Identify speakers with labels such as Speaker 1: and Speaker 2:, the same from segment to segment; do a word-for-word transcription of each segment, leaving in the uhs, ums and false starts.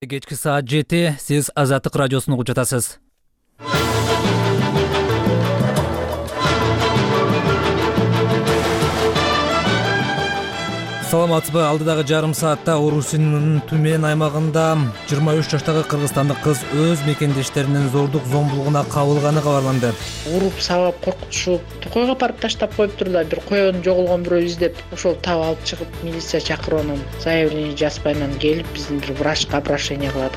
Speaker 1: Кечки саат жети, сиз Азаттык радиосун угуп жатасыз. Саламатсызбы? Алдыдагы жарым саатта Орусиянын Түмен аймагында жыйырма үч жаштагы кыргызстандык кыз өз мекендештеринин зордук зомбулугуна кабылганы кабарланды.
Speaker 2: Уруп сабап коркутушуп койго апарып таштап коюптур да, бир коёнун жоголгон бирөө издеп, ошол таап алып чыгып милиция чакырып анан заявление жазбай анан келип биздин бир врачка обращение кылат.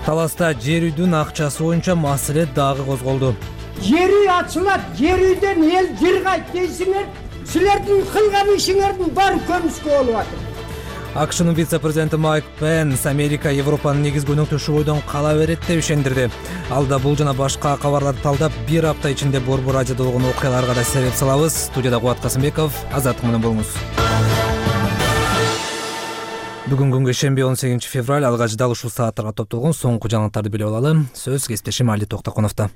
Speaker 1: Таласта жер үйдүн акчасы боюнча маселе дагы козголду.
Speaker 3: Жер үй ачылат, жер үйдөн эл жыргайт дейсиңер. Силердин кылган ишиңердин баары көмүскө болуп атат.
Speaker 1: АКШнын вице-президенти Майк Пенс Америка Европанын негизги өнөктөшү бойдон кала берет деп ишендирди. Ал да бул жана башка кабарларды талдап, бир апта ичинде Борбор радиодо болгон окуяларга да себеп салабыз. Студияда Кубат Касымбеков, Азаттык менен болуңуз. Бүгүн күнгө шемби он сегизинчи февраль, алгач дал ушул сааттарга топтолгон соңку жаңылыктарды билип алалы. Сөз кесиптешим Али Токтоконовдо.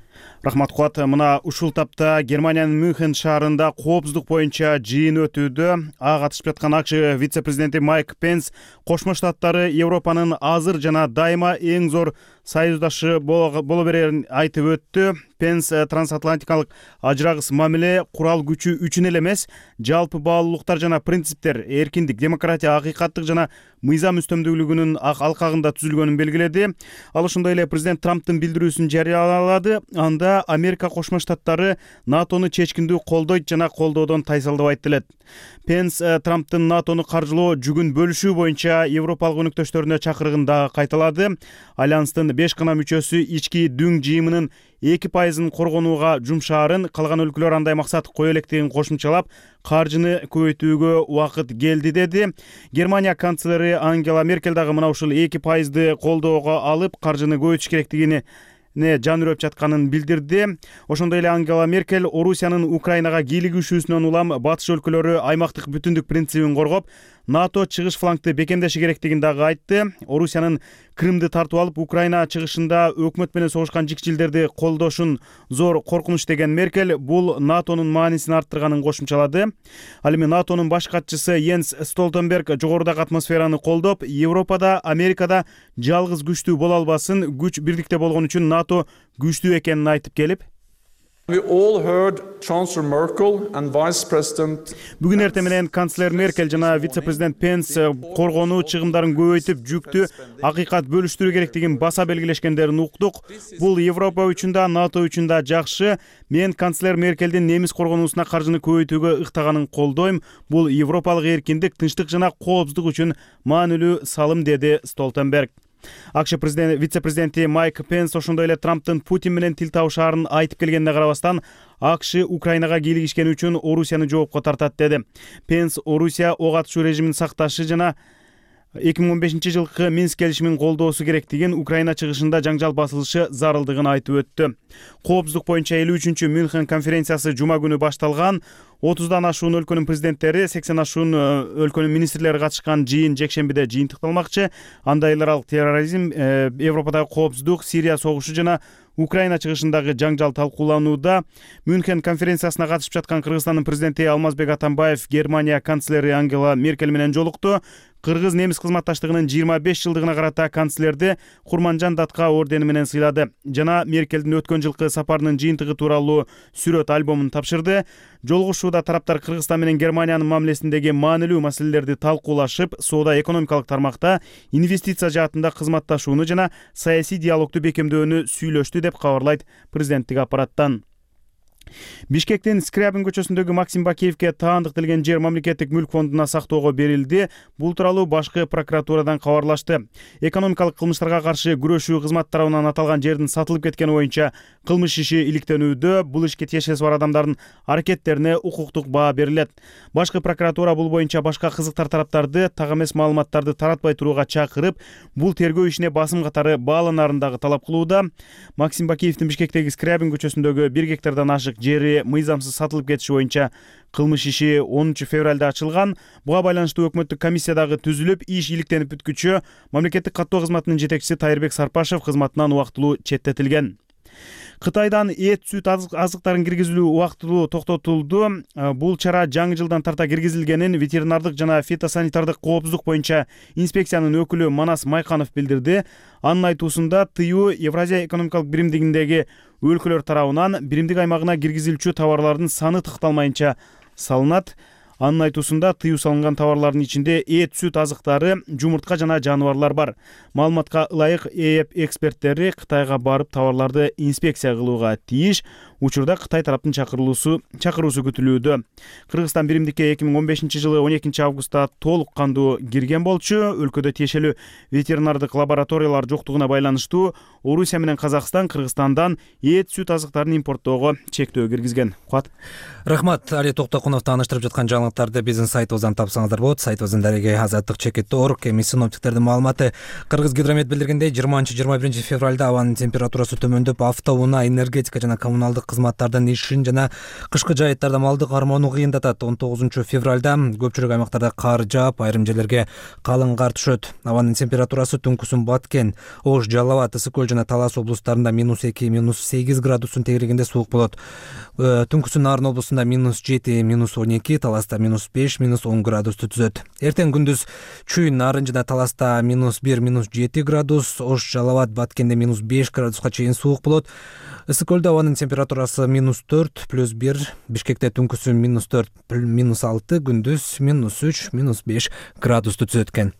Speaker 4: Рахмат Кубат. Мына ушул тапта Германиянын Мюнхен шаарында коопсуздук боюнча жыйын өтүүдө. Ага катышып жаткан АКШ вице-президенти Майк Пенс Кошмо Штаттары Европанын азыр жана дайыма эң зор союздашы боло берерин айтып өттү. Пенс трансатлантикалык ажырагыс мамиле курал күчү үчүн эле эмес, жалпы баалуулуктар жана принциптер, эркиндик, демократия, акыйкаттык жана мыйзам үстөмдүүлүгүнүн алкагында түзүлгөнүн белгиледи. Ал ошондой эле президент Трамптын билдирүүсүн жарыялады. Анда Америка Кошмо Штаттары НАТОну чечкиндүү колдойт жана колдоодон тайсалдабайт делет. Пенс Трамптын НАТОну каржылоо жүгүн бөлүшүү боюнча европалык өнөктөштөрүнө чакырыгын дагы кайталады. Альянстын беш гана мүчөсү ички дүң жыйымынын эки пайызын коргонууга жумшаарын, калган өлкөлөр андай максат кое электигин кошумчалап, каржыны көбөйтүүгө убакыт келди деди. Германия канцлери Ангела Меркель дагы мына ушул эки пайызды колдоого алып, каржыны көбөйтүш керектигини не жан үрөп жатканын билдирди. Ошондой эле Ангела Меркель Орусиянын Украинага кийлигишүүсүнөн улам батыш өлкөлөрү аймактык бүтүндүк принцибин коргоп, НАТО чыгыш флангды бекемдеши керектигин дагы айтты. Орусиянын Крымды тартып алып, Украина чыгышында өкмөт менен согушкан жикчилдерди колдошун зор коркунуч деген Меркель бул НАТОнун маанисин арттырганын кошумчалады. Ал эми НАТОнун баш катчысы Йенс Столтенберг жогорудагы атмосфераны колдоп, Европада, Америкада жалгыз күчтүү боло албасын, күч бирдикте болгон үчүн НАТО күчтүү экенин айтып келип, бүгүн эртең менен канцлер Меркель жана вице-президент Пенс коргонуу чыгымдарын көбөйтүп, жүктү акыйкат бөлүштүрүү керектигин баса белгилешкендерин уктук. Бул Европа үчүн да, НАТО үчүн да жакшы. Мен канцлер Меркелдин немис коргонуусуна каржыны көбөйтүүгө ыктаганын колдойм. Бул европалык эркиндик, тынчтык жана коопсуздук үчүн маанилүү салым, деди Столтенберг. АКШ президент вице-президенти Майк Пенс ошондой эле Трамптын Путин менен тил табышаарын айтып келгенине карабастан, АКШ Украинага кийлигишкени үчүн Орусияны жоопко тартат деди. Пенс Орусия ок атышуу режимин сакташы жана эки миң он бешинчи жылкы Минск келишимин колдоосу керектигин, Украина чыгышында жаңжал басылышы зарылдыгын айтып өттү. Коопсуздук боюнча элүү үчүнчү Мюнхен конференциясы жума күнү башталган. отуздан ашуун өлкөнүн президенттери, сексен ашуун өлкөнүн министрлери катышкан жыйын жекшембиде жыйынтыкталмакчы. Анда эл аралык терроризм, Европадагы коопсуздук, Сирия согушу жана Украина чыгышындагы жаңжал талкууланууда. Мюнхен конференциясына катышып жаткан Кыргызстандын президенти Алмазбек Атамбаев Германия канцлери Ангела Меркель менен жолукту. Кыргыз-немис кызматташтыгынын жыйырма беш жылдыгына карата канцлерди Курманжан Датка ордени менен сыйлады жана Меркелдин өткөн жылкы сапарынын жыйынтыгы тууралуу сүрөт альбомун тапшырды. Жолугушууда тараптар Кыргызстан менен Германиянын мамилесиндеги маанилүү маселелерди талкуулашып, соода-экономикалык тармакта инвестиция жаатында кызматташууну жана саясий диалогду бекемдөөнү сүйлөштү деп кабарлайт президенттик аппараттан. Бишкектин Скрябин көчөсүндөгү Максим Бакиевке таандыкталган жер мамлекеттик мүлк фондуна сактоого берилди. Бул тууралуу башкы прокуратурадан кабарлашты. Экономикалык кылмыштарга каршы күрөшүү кызмат тарабынан аталган жердин сатылып кеткени боюнча кылмыш иши иликтенүүдө. Бул ишке тиешеси бар адамдардын аракеттерине укуктук баа берилет. Башкы прокуратура бул боюнча башка кызыктар тараптарды так эмес маалыматтарды таратпай турууга чакырып, бул тергөө ишине басым катары бааланаарын дагы талап кылууда. Максим Бакиевдин Бишкектеги Скрябин көчөсүндөгү бир гектардан ашык жери мыйзамсыз сатылып кетиши боюнча кылмыш иши онунчу февралда ачылган. Буга байланыштуу өкмөттүк комиссия дагы түзүлүп, иш иликтенип бүткүчө мамлекеттик каттоо кызматынын жетекчиси Тайырбек Сарпашев кызматынан убактылуу четтетилген. Кытайдан эт, сүт азыктарын киргизүү убактылуу токтотулду. Бул чара жаңы жылдан тарта киргизилгенин ветеринардык жана фитосанитардык коопсуздук боюнча инспекциянын өкүлү Манас Майканов билдирди. Анын айтуусунда тыюу Евразия экономикалык биримдигиндеги өлкөлөр тарабынан биримдик аймагына киргизилчү товарлардын саны такталмайынча салынат. Анын айтуусунда тыюу салынган товарлардын ичинде эт, сүт азыктары, жумуртка жана жаныбарлар бар. Маалыматка ылайык ЭЭП эксперттери Кытайга барып товарларды инспекция кылууга тийиш. Учурда Кытай тараптын чакырылуусу чакыруусу күтүлүүдө. Кыргызстан биримдикке эки миң он бешинчи жылы он экинчи августта толук кандуу кирген болчу. Өлкөдө тиешелүү ветеринардык лабораториялар жоктугуна байланыштуу Орусия менен Казакстан Кыргызстандан эт, сүт азыктарын импорттоого чектөө киргизген. Куат.
Speaker 1: Рахмат. Али Токтокунов тааныштырып жаткан жаңылыктарды биздин сайтыбыздан тапсаңыздар болот. Сайтыбыздын дареги азаттык чекит точка орг. Эми синоптиктердин маалыматы. Кыргыз гидромет билдиргендей жыйырманчы жыйырма биринчи февралда абанын температурасы төмөндөп, автоунаа, энергетика жана коммуналдык кызматтардын ишин жана кышкы жайыттарда малды кармоону кыйындатат. он тогузунчу февралда көпчүлүк аймактарда кар жаап, айрым жерлерге калың кар түшөт. Абанын температурасы түнкүсүн Баткен, Ош, Жалал абад, Ысык көл жана Талас облустарында минус эки, минус сегиз градустун тегерегинде суук болот. Түнкүсүн Нарын облусунда минус жети, минус он эки, Таласта минус беш, минус он градусту түзөт. Эртең күндүз Чүй, Нарын жана Таласта минус бир, минус жети градус, Ош, Жалал абад, Баткенде минус беш градуска чейин суук болот. Ысык көлдө абанын температурасы минус төрт, плюс бир, Бишкекте түнкүсүн минус төрт, минус алты, күндүз минус үч, минус беш градусту түзөт экен.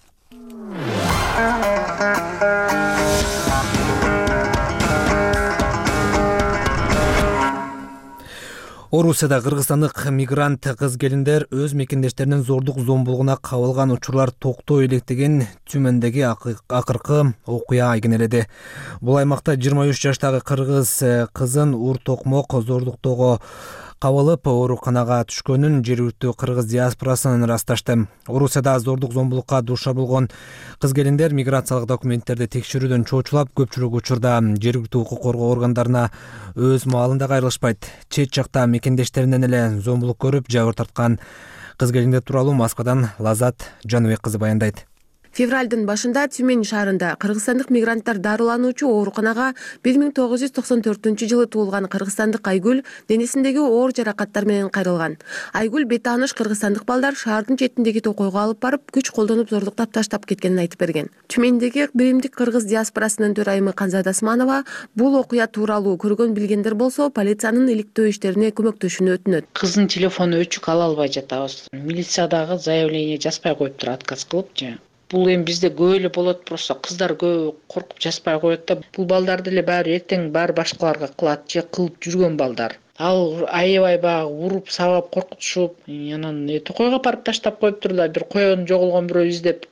Speaker 1: Орусияда кыргызстандык мигрант кыз-келиндер өз мекендештеринин зордук зомбулугуна кабылган учурлар токтой элек деген Түмөндөгү акыркы окуя айгинеледи. Бул аймакта жыйырма үч жаштагы кыргыз кызын ур токмок зордуктоого кабылып ооруканага түшкөнүн жергиликтүү кыргыз диаспорасынан ырасташты. Орусияда зордук зомбулукка дуушар болгон кыз-келиндер миграциялык документтерди текшерүүдөн чоочулап, көпчүлүк учурда жергиликтүү укук коргоо органдарына өз маалында кайрылышпайт. Чет жакта мекендештеринен эле зомбулук көрүп, жабыр тарткан кыз-келиндер тууралуу Москвадан Лазат Жаныбек кызы баяндайт.
Speaker 5: Февралдын башында Тюмень шаарында кыргызстандык мигранттар дарылануучу ооруканага бир миң тогуз жүз токсон төртүнчү жылы туулган кыргызстандык Айгүл денесиндеги оор жаракаттар менен кайрылган. Айгүл бет тааныш кыргызстандык балдар шаардын четиндеги токойго алып барып, күч колдонуп зордуктап таштап кеткенин айтып берген. Тюмендеги биримдик кыргыз диаспорасынын төрайымы Канзада Османова бул окуя тууралуу көргөн билгендер болсо, полициянын иликтөө иштерине көмөктөшүүнү өтүнөт.
Speaker 2: Кыздын телефону өчүк ала албай жатабыз. Милициядагы заявление жазбай коюптур, отказ кылыпчы. Бул эми бизде көп эле болот, просто кыздар көп коркуп жазбай коет да. Бул балдарды эле баары эртең баары башкаларга кылат же кылып жүргөн балдар. Ал аябай баягы уруп, сабап, коркутушуп, анан токойго апарып таштап коюптур да. Бир коен жоголгон бирөө издеп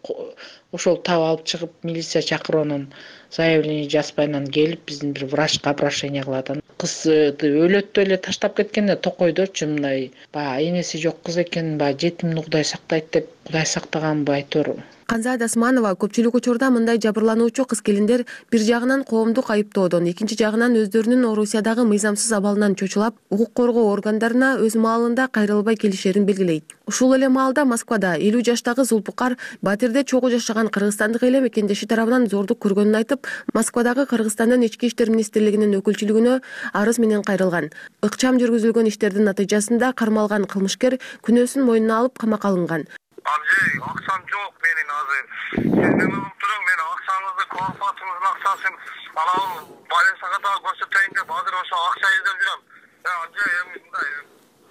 Speaker 2: ошол таап алып чыгып, милиция чакырып, анан заявление жазбай анан келип биздин бир врачка обращение кылат. Кыз өлөттү эле таштап кеткен, токойдочу мындай баягы энеси жок кыз экен, баягы жетимди Кудай сактайт деп, Кудай сактаганбы айтор.
Speaker 5: Канзада Османова көпчүлүк учурда мындай жабырлануучу кыз-келиндер бир жагынан коомдук айыптоодон, экинчи жагынан өздөрүнүн Орусиядагы мыйзамсыз абалынан чочулап, укук коргоо органдарына өз маалында кайрылбай келишерин белгилейт. Ушул эле маалда Москвада элүү жаштагы Зулпукар Батирде чогуу жашаган кыргызстандык эле мекендеши тарабынан зордук көргөнүн айтып, Москвадагы Кыргызстандын ички иштер министрлигинин өкүлчүлүгүнө арыз менен кайрылган. Ыкчам жүргүзүлгөн иштердин натыйжасында кармалган кылмышкер күнөөсүн мойнуна алып камакка алынган.
Speaker 6: Amcay, akşam çok benim hazır. Sizden unutturum beni, akşamınızı, konfatınızın akşasın. Anam, Balensağa da göstereyim de bazı olsa akşa izlem diyorum. Ya amcay,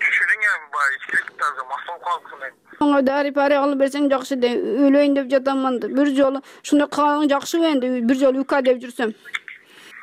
Speaker 6: düşürün ya, içkilik tarzı, masal kalksın ben.
Speaker 7: Ona dari pare alıp bersen jakşı de, öleyim dep jatamman. Bir jolu, şunda kalan jakşı endi, bir jolu uka dep jursam.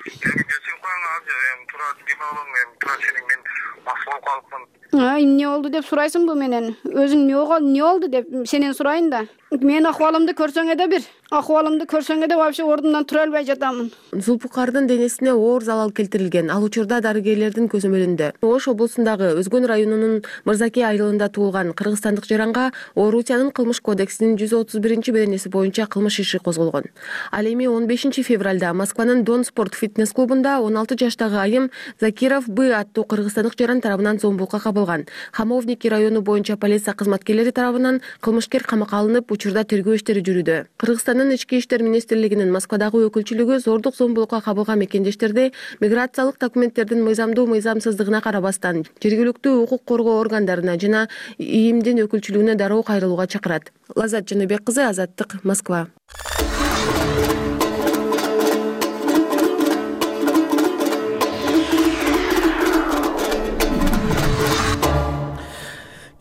Speaker 6: Yani geçin koyan amcay, tura dime olun, tura senin ben masal kalksın.
Speaker 7: Ha, ne oldu dep suraysın bu menen. Özün ne oldu, ne oldu dep senen surayın da. Men ahvalımды көрсөң эде бир. Ahvalымды көрсөң эде вообще ордумдан тура албай жатамын.
Speaker 5: Зулпукардын денесине оор залал келтирилген. Ал учурда дарыгерлердин көзөмөлүндө. Ош облусундагы Өзгөн районунун Мырзаке айылында туулган кыргызстандык жаранга Орусиянын кылмыш кодексинин жүз отуз биринчи беренеси боюнча кылмыш иши козголгон. Ал эми он бешинчи февралда Москванын Дон спорт фитнес клубунда он алты жаштагы айым Закиров Б аттуу кыргызстандык жаран тарабынан зомбулукка кабылган. кылган. Хамовники району боюнча полиция кызматкерлери тарабынан кылмышкер камакка алынып, учурда тергөө иштери жүрүүдө. Кыргызстандын ички иштер министрлигинин Москвадагы өкүлчүлүгү зордук зомбулукка кабылган мекендештерде миграциялык документтердин мыйзамдуу мыйзамсыздыгына карабастан жергиликтүү укук коргоо органдарына жана ИИМдин өкүлчүлүгүнө дароо кайрылууга чакырат. Лазат Жаныбек кызы, Азаттык, Москва.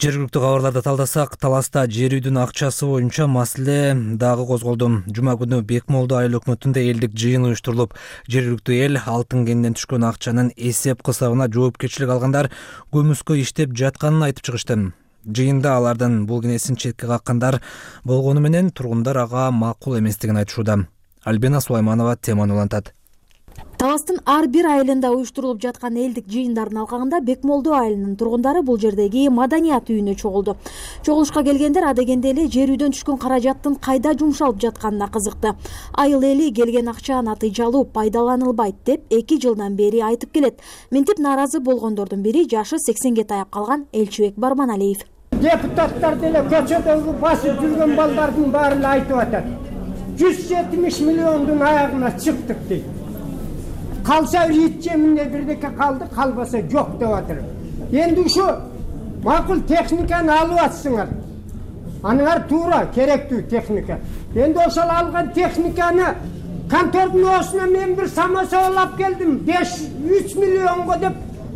Speaker 1: Жергиликтүү кабарларды талдасак, таласта жер үйдүн акчасы боюнча маселе дагы козголду. Жума күнү Бекмолду айыл өкмөтүндө элдик жыйын уюштурулуп, жергиликтүү эл алтын кенден түшкөн акчанын эсеп кысабына жоопкерчилик алгандар көмүскө иштеп жатканын айтып чыгышты. Жыйында алардын бул кенесин четке каккандар болгону менен тургундар ага макул эместигин айтышууда. Альбина Сулайманова теманы улантат.
Speaker 8: Таластын ар бир айылында уюштурулуп жаткан элдик жыйындардын алкагында Бекмолду айылынын тургундары бул жердеги маданият үйүнө чогулду. Чогулушка келгендер адегенде эле жер үйдөн түшкөн каражаттын кайда жумшалып жатканына кызыкты. Айыл эли келген акча натыйжалуу пайдаланылбайт деп эки жылдан бери айтып келет. Мынтип нааразы болгондордун бири жашы сексенге таяп калган Элчибек Барманалиев.
Speaker 3: Депутаттар деле көчөдөгү басып жүргөн балдардын баары эле айтып атат. жүз жетимиш миллиондун аягына чыктык дейт. Калса ит жеминде бирдеке калды, калбаса жок деп атыр. Энди ушу макул техниканы алып атсыңар. Аныңар туура керектүү техника. Энди ошол алган техниканы контордун оосуна мен бир самосвал алып келдим. беш үч миллионго деп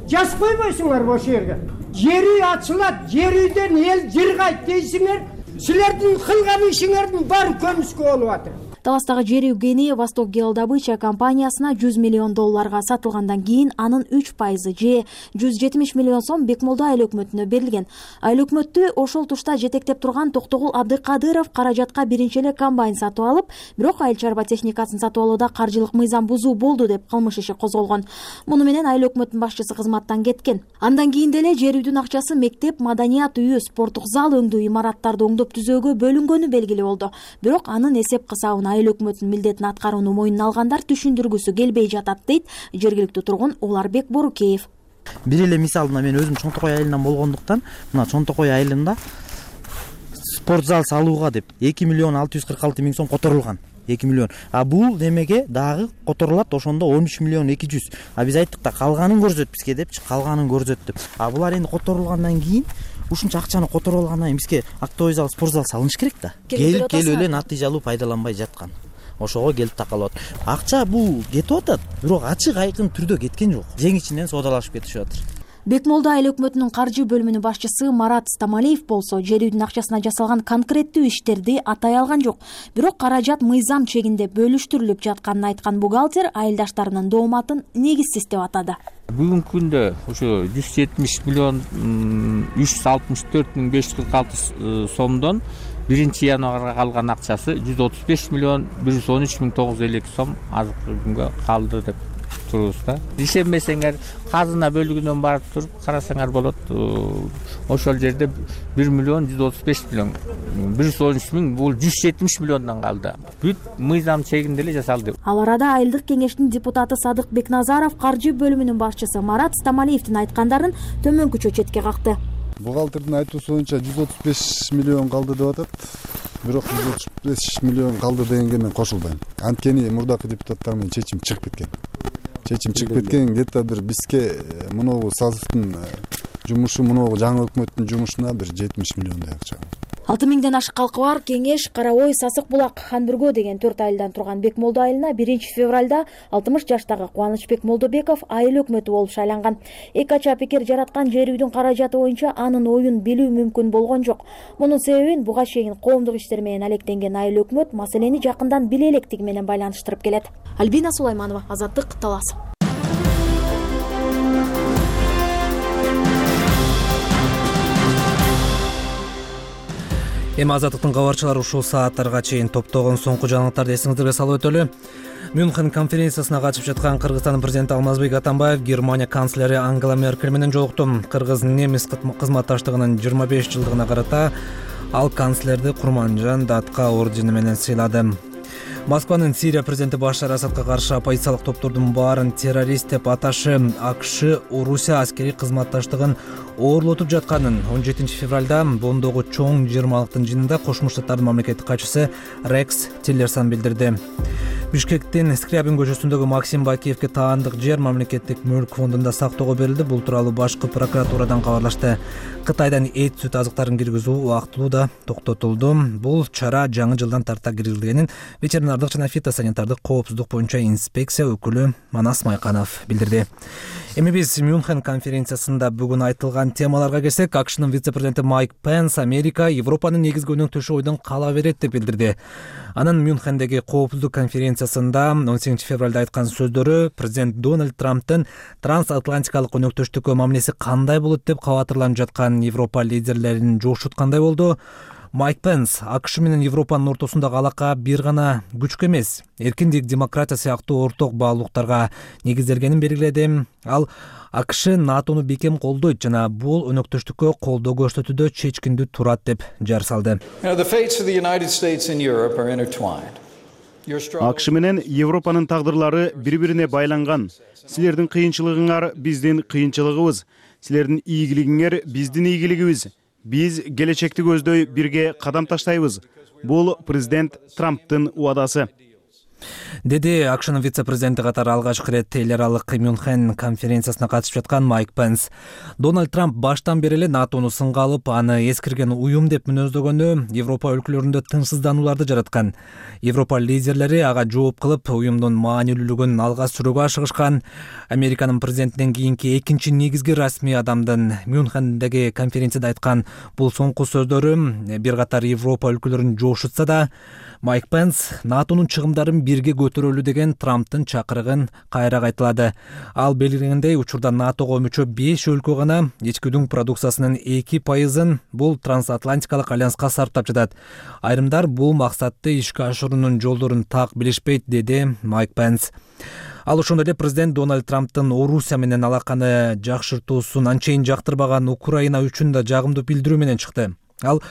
Speaker 3: жазып койбойсуңар ошол жерге. Жер үй ачылат, жер үйдөн эл жыргайт дейсиңер. Силердин кылган ишиңердин баары көмүскө болуп атыр.
Speaker 8: Таластагы жер үй кени Восток геодобыча компаниясына жүз миллион долларга сатылгандан кийин анын үч пайызы же жүз жетимиш миллион сом Бекмолду айыл өкмөтүнө берилген. Айыл өкмөттү ошол тушта жетектеп турган Токтогул Абдыкадыров каражатка биринчи эле комбайн сатып алып, бирок айыл чарба техникасын сатып алууда каржылык мыйзам бузуу болду деп кылмыш иши козголгон. Муну менен айыл өкмөтүнүн башчысы кызматтан кеткен. Андан кийин деле жер үйдүн акчасы мектеп, маданият үйү, спорттук зал өңдүү имараттарды оңдоп түзөөгө бөлүнгөнү белгилүү болду. Бирок анын эсеп кысабын айыл өкмөтүнүн милдетин аткарууну мойнуна алгандар түшүндүргүсү келбей жатат дейт жергиликтүү тургун Уларбек Борукеев.
Speaker 9: Бир эле мисал, мен өзүм Чонтокой айылынан болгондуктан, мына Чонтокой айылында спорт зал салууга деп эки миллион алты жүз кырк алты миң сом которулган. эки миллион. А бул немеге дагы которулат, ошондо он үч миллион эки жүз. А биз айттык да калганын көрсөт бизге депчи, калганын көрсөт деп. А булар энди которулгандан кийин ушунча акчаны которуп алгандан кийин бизге актовый зал, спорт зал салыныш керек да. Келип келип эле натыйжалуу пайдаланбай жаткан. Ошого келип такалып атат. Акча бул кетип атат, бирок ачык айкын түрдө кеткен жок. Жең ичинен соодалашып кетишип атыр.
Speaker 8: Бекмолду айыл өкмөтүнүн каржы бөлүмүнүн башчысы Марат Стамалиев болсо жер үйдүн акчасына жасалган конкреттүү иштерди атай алган жок. Бирок каражат мыйзам чегинде бөлүштүрүлүп жатканын айткан бухгалтер айылдаштарынын дооматын негизсиз деп атады.
Speaker 10: Бүгүнкү күндө ошо жүз жетимиш миллион үч жүз алтымыш төрт миң беш жүз кырк алты сомдон биринчи январга калган акчасы жүз отуз беш миллион бир жүз он үч миң тогуз жүз элүү эки сом азыркы күнгө калды деп турубуз да. Ишенбесеңер казына бөлүгүнөн барып туруп карасаңар болот. Ошол жерде бир миллион жүз отуз беш миллион бир жүз он үч миң, бул жүз жетимиш миллиондон калды. Бүт мыйзам чегинде эле жасалды.
Speaker 8: Ал арада айылдык кеңештин депутаты Садык Бекназаров каржы бөлүмүнүн башчысы Марат Стамалиевдин айткандарын төмөнкүчө четке какты.
Speaker 11: Бухгалтердин айтуусу боюнча жүз отуз беш миллион калды деп атат. Бирок жүз отуз беш миллион калды дегенге мен кошулбайм. Анткени мурдакы депутаттар менен чечим чыгып кеткен. Чечим чыгып кеткен, где-то бир бизге мынобу сазовдун жумушу, мынобу жаңы өкмөттүн жумушуна бир жетимиш миллиондой акча.
Speaker 8: алты миңден ашык калкы бар Кеңеш, Карабой, Сасык булак, Ханбүргө деген төрт айылдан турган Бекмолду айылына биринчи февралда алтымыш жаштагы Кубанычбек Молдобеков айыл өкмөтү болуп шайланган. Эки ача пикир жараткан жер үйдүн каражаты боюнча анын оюн билүү мүмкүн болгон жок. Мунун себебин буга чейин коомдук иштер менен алектенген айыл өкмөт маселени жакындан биле электиги менен байланыштырып келет. Альбина Сулайманова, Азаттык, Талас.
Speaker 1: Эми Азаттыктын кабарчылары ушул сааттарга чейин топтогон соңку жаңылыктарды эсиңиздерге салып өтөлү. Мюнхен конференциясына катышып жаткан Кыргызстандын президенти Алмазбек Атамбаев Германия канцлери Ангела Меркель менен жолукту. Кыргыз-немис кызматташтыгынын жыйырма беш жылдыгына карата ал канцлерди Курманжан Датка ордени менен сыйлады. Москванын Сирия президенти Башар Асадка каршы оппозициялык топтордун баарын террорист деп аташы АКШ Орусия аскерий кызматташтыгын оорлотуп жатканын он жетинчи февралда Бондогу чоң жыйырмалыктын жыйынында Кошмо Штаттардын мамлекеттик катчысы Рекс Тиллерсон билдирди. Бишкектин Скрябин көчөсүндөгү Максим Бакиевке таандык жер мамлекеттик мүлк фондунда сактоого берилди. Бул тууралуу башкы прокуратурадан кабарлашты. Кытайдан эт сүт азыктарын киргизүү убактылуу да токтотулду. Бул чара жаңы жылдан тарта киргизилгенин ветеринардык жана фитосанитардык коопсуздук боюнча инспекция өкүлү Манас Майканов билдирди. Эми биз Мюнхен конференциясында бүгүн айтылган темаларга келсек, АКШнын вице-президенти Майк Пенс Америка Европанын негизги өнөктөшү ойдон кала берет деп билдирди. Анын Мюнхендеги коопсуздук конференциясында он сегизинчи февралда айткан сөздөрү президент Дональд Трамптын трансатлантикалык өнөктөштүккө мамилеси кандай болот деп кабатырланып жаткан Европа лидерлерин жошуткандай болду. Майк Пенс АКШ менен Европанын ортосундагы алака бир гана күчкө эмес, эркиндик, демократия сыяктуу орток баалуулуктарга негизделгенин белгиледи. Ал АКШ НАТОну бекем колдойт жана бул өнөктөштүккө колдоо көрсөтүүдө чечкиндүү турат деп жар салды.
Speaker 4: АКШ менен Европанын тагдырлары бири-бирине байланган. Силердин кыйынчылыгыңар биздин кыйынчылыгыбыз, силердин ийгилигиңер биздин ийгилигибиз. Биз келечекти көздөй бирге кадам таштайбыз. Бул президент Трамптын убадасы,
Speaker 1: деди АКШнын вице-президенти катары алгачкы ирет эл аралык Мюнхен конференциясына катышып жаткан Майк Пенс. Дональд Трамп баштан бери эле НАТОну сынга алып, аны эскирген уюм деп мүнөздөгөнү Европа өлкөлөрүндө тынчсызданууларды жараткан. Европа лидерлери ага жооп кылып, уюмдун маанилүүлүгүн алга сүрүүгө ашыгышкан. Американын президентинен кийинки экинчи негизги расмий адамдын Мюнхендеги конференцияда айткан бул соңку сөздөрү бир катар Европа өлкөлөрүн жошутса да, Майк Пенс НАТОнун чыгымдарын бирге көтөрөлү деген Трамптын чакырыгын кайра кайталады. Ал белгилегендей, учурда НАТОго мүчө беш өлкө гана ичкүдүн продукциясынын эки пайызын бул трансатлантикалык альянска сарптап жатат. Айрымдар бул максатты ишке ашыруунун жолдорун так билишпейт, деди Майк Пенс. Ал ошондой эле президент Дональд Трамптын Орусия менен алаканы жакшыртуусун анчейин жактырбаган Украина үчүн да жагымдуу билдирүү менен чыкты. Ал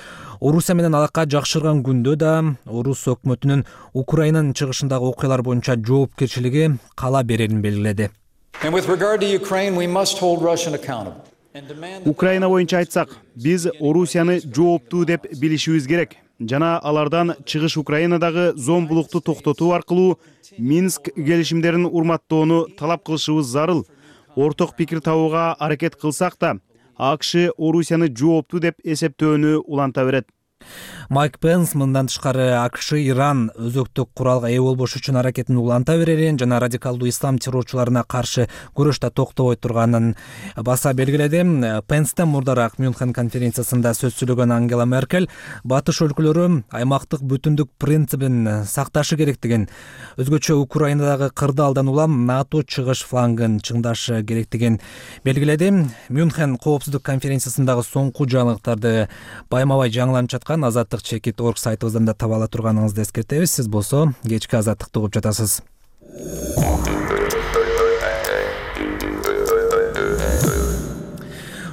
Speaker 1: Орусия менен алака жакшырган күндө да Орус өкмөтүнүн Украинанын чыгышындагы окуялар боюнча жоопкерчилиги кала берерин белгиледи.
Speaker 4: Украина боюнча айтсак, биз Орусияны жооптуу деп билишибиз керек жана алардан чыгыш Украинадагы зомбулукту токтотуу аркылуу Минск келишимдерин урматтоону талап кылышыбыз зарыл. Орток пикир табууга аракет кылсак да, АКШ Орусияны жооптуу деп эсептөөнү уланта берет.
Speaker 1: Майк Пенс мындан тышкары АКШ Иран өзөктүк куралга ээ болбош үчүн аракетин уланта берерин жана радикалдуу ислам террорчуларына каршы күрөштө токтобой турганын баса белгиледи. Пенстен мурдараак Мюнхен конференциясында сөз сүйлөгөн Ангела Меркель батыш өлкөлөрү аймактык бүтүндүк принцибин сакташы керектигин, өзгөчө Украинадагы кырдаалдан улам НАТО чыгыш флангын чыңдашы керектигин белгиледи. Мюнхен коопсуздук конференциясындагы соңку жаңылыктарды байма-бай жаңыланып жаткан азаттык чекит точка орг сайтыбыздан да таба ала турганыңызды эскертебиз. Сиз болсо кечки азаттыкты угуп жатасыз.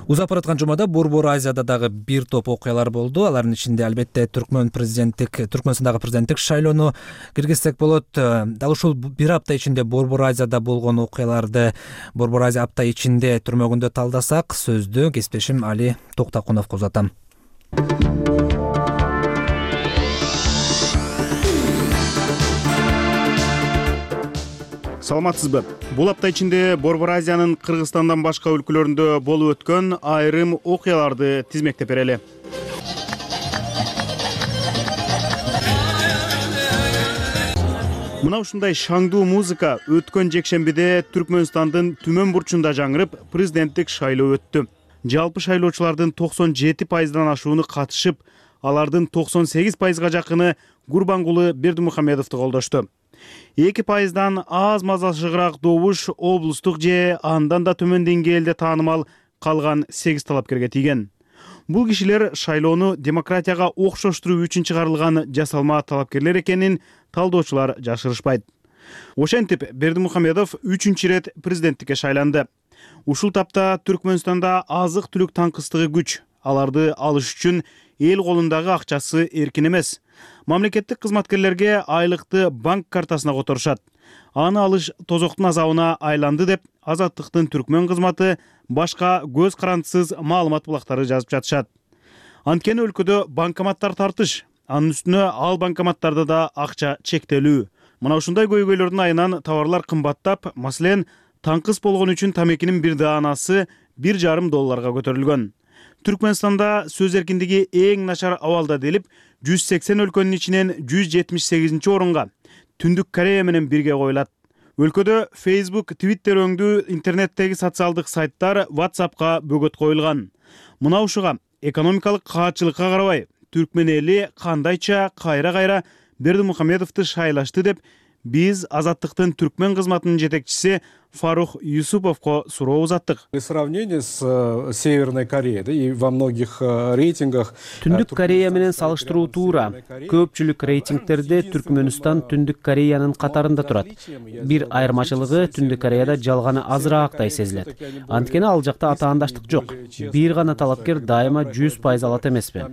Speaker 1: Узап бараткан жумада Борбор Азияда дагы бир топ окуялар болду. Алардын ичинде албетте Түркмөн президенттик Түркмөнстандагы президенттик шайлоону киргизсек болот. Дал ушул бир апта ичинде Борбор Азияда болгон окуяларды Борбор Азия апта ичинде түрмөгүндө талдасак, сөздү кесиптешим Али Токтакуновго узатам.
Speaker 4: Саламатсызбы? Бул апта ичинде Борбор Азиянын Кыргызстандан башка өлкөлөрүндө болуп өткөн айрым окуяларды тизмектеп берели. Мына ушундай шаңдуу музыка өткөн жекшембиде Түркмөнстандын түмөн бурчунда жаңырып, президенттик шайлоо өттү. Жалпы шайлоочулардын токсон жети пайыздан ашууну катышып, алардын токсон сегиз пайызга жакыны Гурбангулы Бердимухамедовду колдошту. эки пайыздан аз мазашыгыраак добуш облустук же андан да төмөн деңгээлде таанымал калган сегиз талапкерге тийген. Бул кишилер шайлоону демократияга окшоштуруу үчүн чыгарылган жасалма талапкерлер экенин талдоочулар жашырышпайт. Ошентип, Бердимухамедов үчүнчү ирет президенттикке шайланды. Ушул тапта Түркмөнстанда азык-түлүк таңкыстыгы күч. Аларды алыш үчүн эл колундагы акчасы эркин эмес. Мамлекеттик кызматкерлерге айлыкты банк картасына которушат. Аны алыш тозоктун азабына айланды деп Азаттыктын түркмөн кызматы башка көз карандысыз маалымат булактары жазып жатышат. Анткени өлкөдө банкоматтар тартыш, анын үстүнө ал банкоматтарда да акча чектелүү. Мына ушундай көйгөйлөрдүн айынан товарлар кымбаттап, маселен, таңкыс болгон үчүн тамекинин бир даанасы бир жарым долларга көтөрүлгөн. Түркмөнстанда сөз эркиндиги эң начар абалда делип, жүз сексен өлкөнүн ичинен жүз жетимиш сегизинчи орунга Түндүк Корея менен бирге коюлат. Өлкөдө Facebook, Twitter өңдүү интернеттеги социалдык сайттар WhatsAppка бөгөт коюлган. Мына ушуга экономикалык каатчылыкка карабай, түркмөн эли кандайча кайра-кайра Бердимухамедовду шайлашты деп биз Азаттыктын түркмөн кызматынын жетекчиси Фарух Юсуповго суроо узаттык.
Speaker 12: В сравнении с Северной Кореей, да, и во многих рейтингах
Speaker 13: Түндүк Корея менен салыштыруу туура. Көпчүлүк рейтингтерде Түркмөнстан Түндүк Кореянын катарында турат. Бир айырмачылыгы Түндүк Кореяда жалганы азыраактай сезилет. Анткени ал жакта атаандаштык жок. Бир гана талапкер дайыма жүз пайыз алат эмеспи.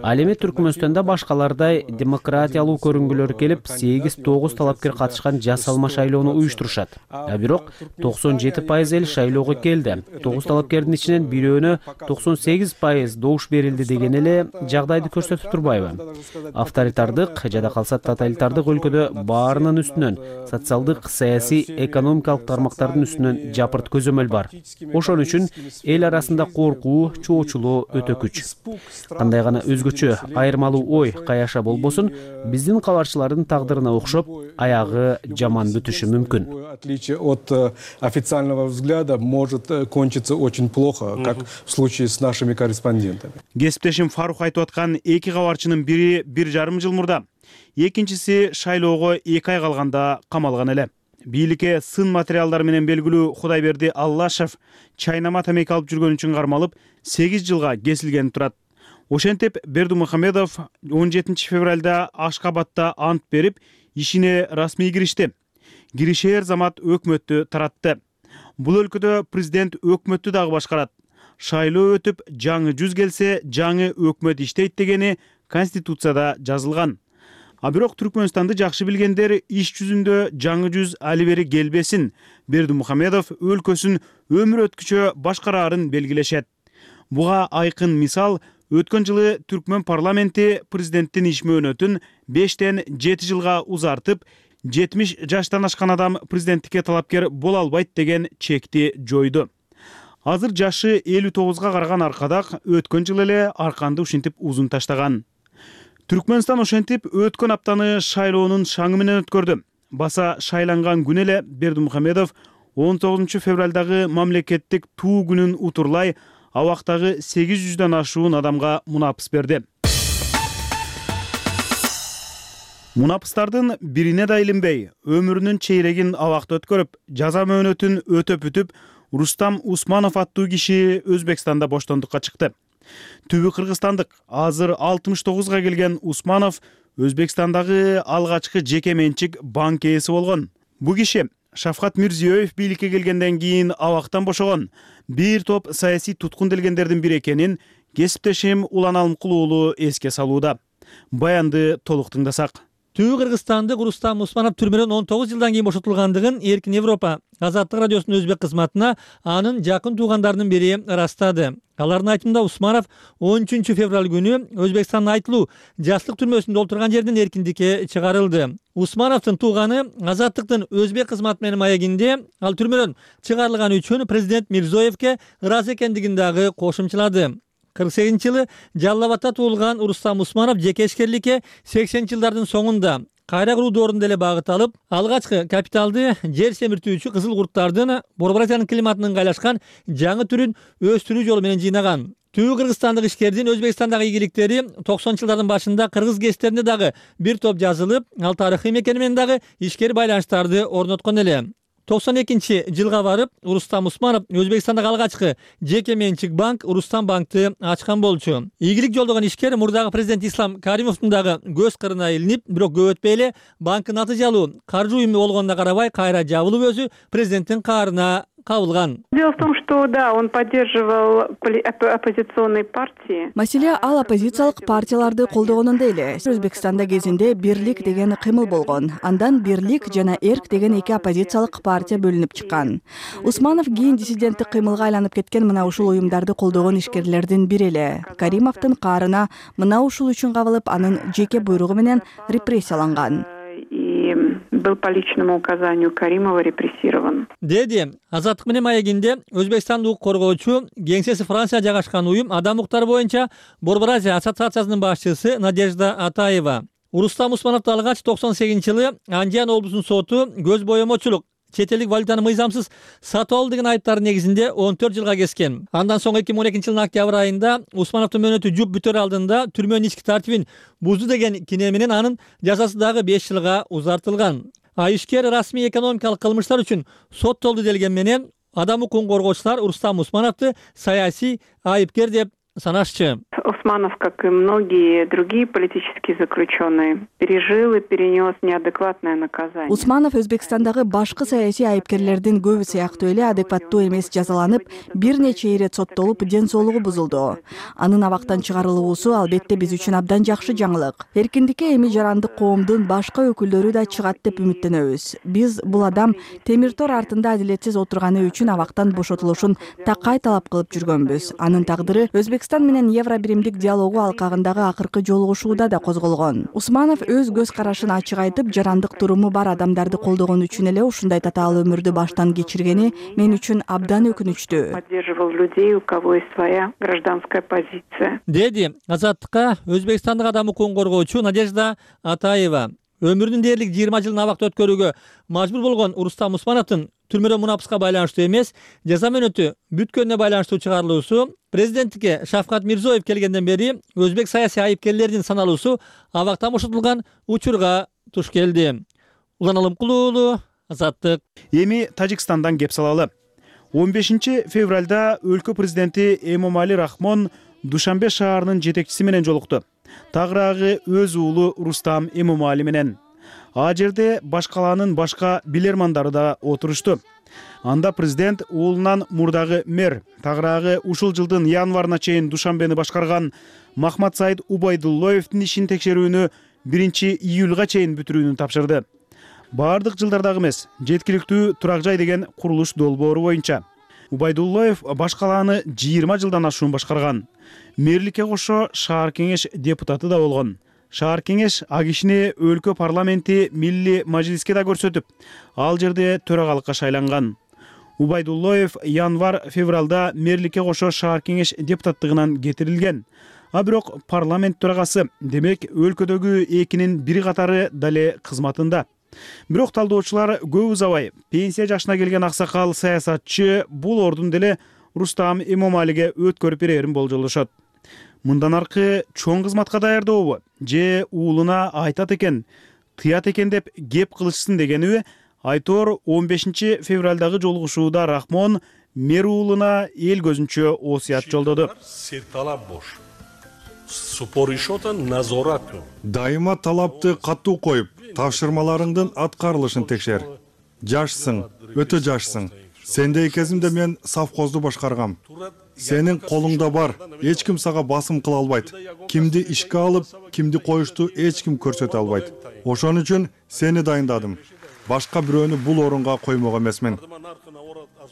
Speaker 13: Ал эми Түркмөнстанда башкалардай демократиялуу көрүнгүлөр келип, сегиз тогуз талапкер катышкан жасалма шайлоону уюштурушат. А бирок токсон жети пайыз эл шайлоого келди. тогуз талапкердин ичинен бирөөнө токсон сегиз пайыз добуш берилди деген эле жагдайды көрсөтүп турбайбы? Авторитардык жада калса тоталитардык өлкөдө баарынын үстүнөн социалдык, саясий, экономикалык тармактардын үстүнөн жапырт көзөмөл бар. Ошон үчүн эл арасында коркуу, чоочулоо өтө күч. Кандай гана өзгөчө айырмалуу ой каяша болбосун, биздин кабарчылардын тагдырына окшоп, аягы жаман бүтүшү мүмкүн.
Speaker 12: Отличие от официального взгляда может кончиться очень плохо, как в случае с нашими корреспондентами.
Speaker 4: Кесиптешим Фарух айтып аткан эки кабарчынын бири бир жарым жыл мурда, экинчиси шайлоого эки ай калганда камалган эле. Бийликке сын материалдар менен белгилүү Кудайберди Аллашев чайнама тамеки алып жүргөн үчүн кармалып, сегиз жылга кесилген турат. Ошентип Бердимухамедов он жетинчи февралда Ашкабадта ант берип, ишине расмий киришти. Киришер замат өкмөттү таратты. Бул өлкөдө президент өкмөттү дагы башкарат. Шайлоо өтүп, жаңы жүз келсе, жаңы өкмөт иштейт дегени Конституцияда жазылган. А бирок Түркмөнстанды жакшы билгендер иш жүзүндө жаңы жүз али бери келбесин, Бердимухамедов өлкөсүн өмүр өткүчө башкараарын белгилешет. Буга айкын мисал өткөн жылы Түркмөн парламенти президенттин иш мөөнөтүн бештен жети жылга узартып, жетимиш жаштан ашкан адам президенттикке талапкер боло албайт деген чекти жойду. Азыр жашы элүү тогузга караган аркадак өткөн жылы эле арканды ушинтип узун таштаган. Түркмөнстан ошентип өткөн аптаны шайлоонун шаңы менен өткөрдү. Баса шайланган күнү эле Бердимухамедов он тогузунчу февралдагы мамлекеттик туу күнүн утурлай абактагы сегиз жүздөн ашуун адамга мунапыс берди. Мунапыстардын бирине да илинбей, өмүрүнүн чейрегин абакта өткөрүп, жаза мөөнөтүн өтөп бүтүп, Рустам Усманов аттуу киши Өзбекстанда боштондукка чыкты. Түбү кыргызстандык, азыр алтымыш тогузга келген Усманов Өзбекстандагы алгачкы жеке менчик банк ээси болгон. Бу киши Шавкат Мирзиёев бийликке келгенден кийин абактан бошогон, бир топ саясий туткун делгендердин бири экенин кесиптешим Улан Алымкул уулу эске салууда. Баянды толук тыңдасак.
Speaker 14: Түбү кыргызстандык Рустам Усманов түрмөдөн он тогуз жылдан кийин бошотулгандыгын Эркин Европа Азаттык радиосунун өзбек кызматына анын жакын туугандарынын бири ырастады. Алардын айтымында Усманов он үчүнчү февраль күнү Өзбекстандын Айтылуу жаштык түрмөсүндө отурган жерден эркиндикке чыгарылды. Усмановдун тууганы Азаттыктын өзбек кызматы менен маегинде ал түрмөдөн чыгарылганы үчүн президент Мирзиёевке ыраазы экендигин дагы кошумчалады. кырк сегизинчи жылы Жалал Абадта туулган Рустам Усманов жеке ишкерликке сексенинчи жылдардын соңунда кайра куруу доорунда эле багыт алып, алгачкы капиталды жер семиртүүчү кызыл курттардын Борборасиянын климатына ыңгайлашкан жаңы түрүн өстүрүү жолу менен жыйнаган. Түбү кыргызстандык ишкердин Өзбекстандагы ийгиликтери токсонунчу жылдардын башында кыргыз гезиттеринде дагы бир топ жазылып, ал тарыхый мекени менен дагы ишкер байланыштарды орноткон эле. токсон экинчи жылга барып, Рустам Усманов Өзбекстандагы алгачкы жеке менчик банк Рустам банкты ачкан болчу. Ийгилик жолдогон ишкер мурдагы президент Ислам Каримовдун дагы көз кырына илинип, бирок көп өтпөй эле банктын натыйжалуу каржы уюму болгонуна карабай кайра жабылып өзү президенттин каарына кабылган.
Speaker 15: Дело в том, что да, он поддерживал оппозиционные партии.
Speaker 16: Маселе ал оппозициялык партияларды колдогонунда эле. Өзбекстанда кезинде Бирлик деген кыймыл болгон. Андан Бирлик жана Эрк деген эки оппозициялык партия бөлүнүп чыккан. Усманов кийин диссиденттик кыймылга айланып кеткен мына ушул уюмдарды колдогон ишкерлердин бири эле. Каримовдун каарына мына ушул үчүн кабылып, анын жеке буйругу менен репрессияланган.
Speaker 15: И был по личному указанию Каримова репрессирован.
Speaker 14: Деди Азаттык менен маегинде Өзбекстандын укук коргоочу кеңсеси Франция жайгашкан уюм адам укуктары боюнча Борбор Азия ассоциациясынын башчысы Надежда Атаева. Урустам Усмановду алгач токсон сегизинчи жылы Анжан облусунун соту көз боемочулук, чет элдик валютаны мыйзамсыз сатып алуу деген айыптар негизинде он төрт жылга кескен. Андан соң эки миң он экинчи жылдын октябрь айында Усмановдун мөөнөтү жуп бүтөр алдында түрмөнүн ички тартибин бузду деген кине менен анын жазасы дагы беш жылга узартылган. А ишкер расмий экономикалык кылмыштар үчүн соттолду делген менен адам укугун коргоочулар Урустам Усмановду саясий айыпкер деп санашчы.
Speaker 15: Усманов, как и многие другие политические заключенные, пережил и перенес неадекватное наказание.
Speaker 16: Усманов Өзбекстандагы башкы саясий айыпкерлердин көбү сыяктуу эле адекваттуу эмес жазаланып, бир нече ирет соттолуп, ден соолугу бузулду. Анын абактан чыгарылуусу албетте биз үчүн абдан жакшы жаңылык. Эркиндикке эми жарандык коомдун башка өкүлдөрү да чыгат деп үмүттөнөбүз. Биз бул адам темир тор артында адилетсиз отурганы үчүн абактан бошотулушун такай талап кылып жүргөнбүз. Анын тагдыры Өзбекстан менен Евро биримдик диалогу алкагындагы акыркы жолугушууда да козголгон. Усманов өз көз карашын ачык айтып, жарандык туруму бар адамдарды колдогон үчүн эле ушундай татаал өмүрдү баштан кечиргени мен үчүн абдан өкүнүчтүү.
Speaker 15: Поддерживал людей, у кого есть своя гражданская позиция.
Speaker 14: Деди Азаттыкка Өзбекстандык адам укугун коргоочу Надежда Атаева. Өмүрүнүн дээрлик жыйырма жылын абакта өткөрүүгө мажбур болгон Урустам Усмановдун түрмөдөн мунапыска байланыштуу эмес, жаза мөөнөтү бүткөнүнө байланыштуу чыгарылуусу, президенттикке Шавкат Мирзиёев келгенден бери өзбек саясий айыпкерлеринин саналуусу абактан бошотулган учурга туш келди. Улан Алымкулуу уулу, Азаттык.
Speaker 4: Эми Тажикстандан кеп салалы. он бешинчи февралда өлкө президенти Эмомали Рахмон Душанбе шаарынын жетекчиси менен жолукту. Тагыраагы өз уулу Рустам Эмомали менен. А жерде башкаланын башка билермандары да отурушту. Анда президент уулунан мурдагы мэр, тагыраагы ушул жылдын январына чейин Душанбени башкарган Махмат Саид Убайдуллоевдин ишин текшерүүнү биринчи июлга чейин бүтүрүүнү тапшырды. Бардык жылдардагы эмес, жеткиликтүү турак жай деген курулуш долбоору боюнча. Убайдуллоев башкаланы жыйырма жылдан ашуун башкарган. Мэрликке кошо шаар кеңеш депутаты да болгон. Шаар кеңеш а кишини өлкө парламенти Милли Мажлиске да көрсөтүп, ал жерде төрагалыкка шайланган. Убайдуллоев январ-февралда мэрликке кошо шаар кеңеш депутаттыгынан кетирилген. А бирок парламент төрагасы, демек өлкөдөгү экинин бири катары дале кызматында. Бирок талдоочулар көп узабай пенсия жашына келген аксакал саясатчы бул ордун деле Рустам Эмомалиге өткөрүп берерин болжолдошот. Мындан аркы чоң кызматка даярдообу же уулуна айтат экен, тыят экен деп кеп кылышсын дегениби айтор он бешинчи февралдагы жолугушууда Рахмон мэр уулуна эл көзүнчө осуят жолдоду.
Speaker 17: Дайыма талапты катуу коюп, тапшырмаларыңдын аткарылышын текшер. Жашсың, өтө жашсың. Сендей кезимде мен совхозду башкаргам. Сенин колуңда бар, эч ким сага басым кыла албайт. Кимди ишке алып, кимди коюшту эч ким көрсөтө албайт. Ошон үчүн сени дайындадым. Башка бирөөнү бул орунга коймок эмесмин.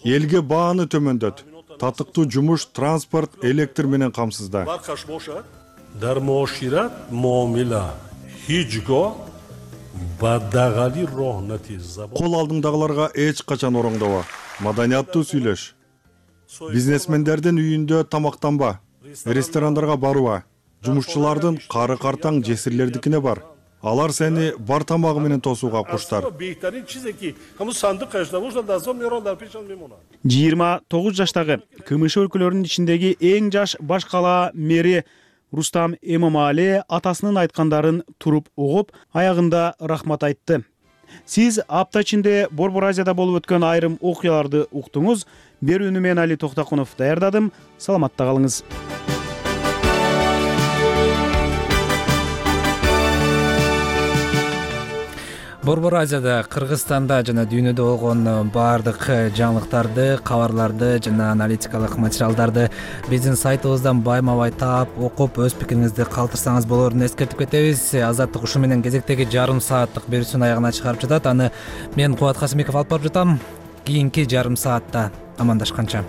Speaker 17: Элге бааны төмөндөт. Татыктуу жумуш, транспорт, электр менен камсызда.
Speaker 18: Дармошират муомила хичго бадагали рохнати забон.
Speaker 17: Кол алдыңдагыларга эч качан ороңдоба. Маданияттуу сүйлөш. Бизнесмендердин үйүндө тамактанба. Ресторандарга баруба. Жумушчулардын кары картаң жесирлердикине бар. Алар сени бар тамагы менен тосууга куштар.
Speaker 4: жыйырма тогуз жаштагы КМШ өлкөлөрүнүн ичиндеги эң жаш баш кала мэри Рустам Эмомали атасынын айткандарын туруп угуп, аягында рахмат айтты. Сиз апта ичинде Борбор Азияда болуп өткөн айрым окуяларды уктуңуз. Берүүнү мен Али Токтакунов даярдадым. Саламатта калыңыз.
Speaker 1: Борбор Азияда, Кыргызстанда жана дүйнөдө болгон баардык жаңылыктарды, кабарларды жана аналитикалык материалдарды биздин сайтыбыздан байма-бай таап, окуп, өз пикириңизди калтырсаңыз болоорун эскертип кетебиз. Азаттык ушу менен кезектеги жарым сааттык берүүсүн аягына чыгарып жатат. Аны мен Кубат Касымбеков алып барып жатам. Кийинки жарым саатта амандашканча.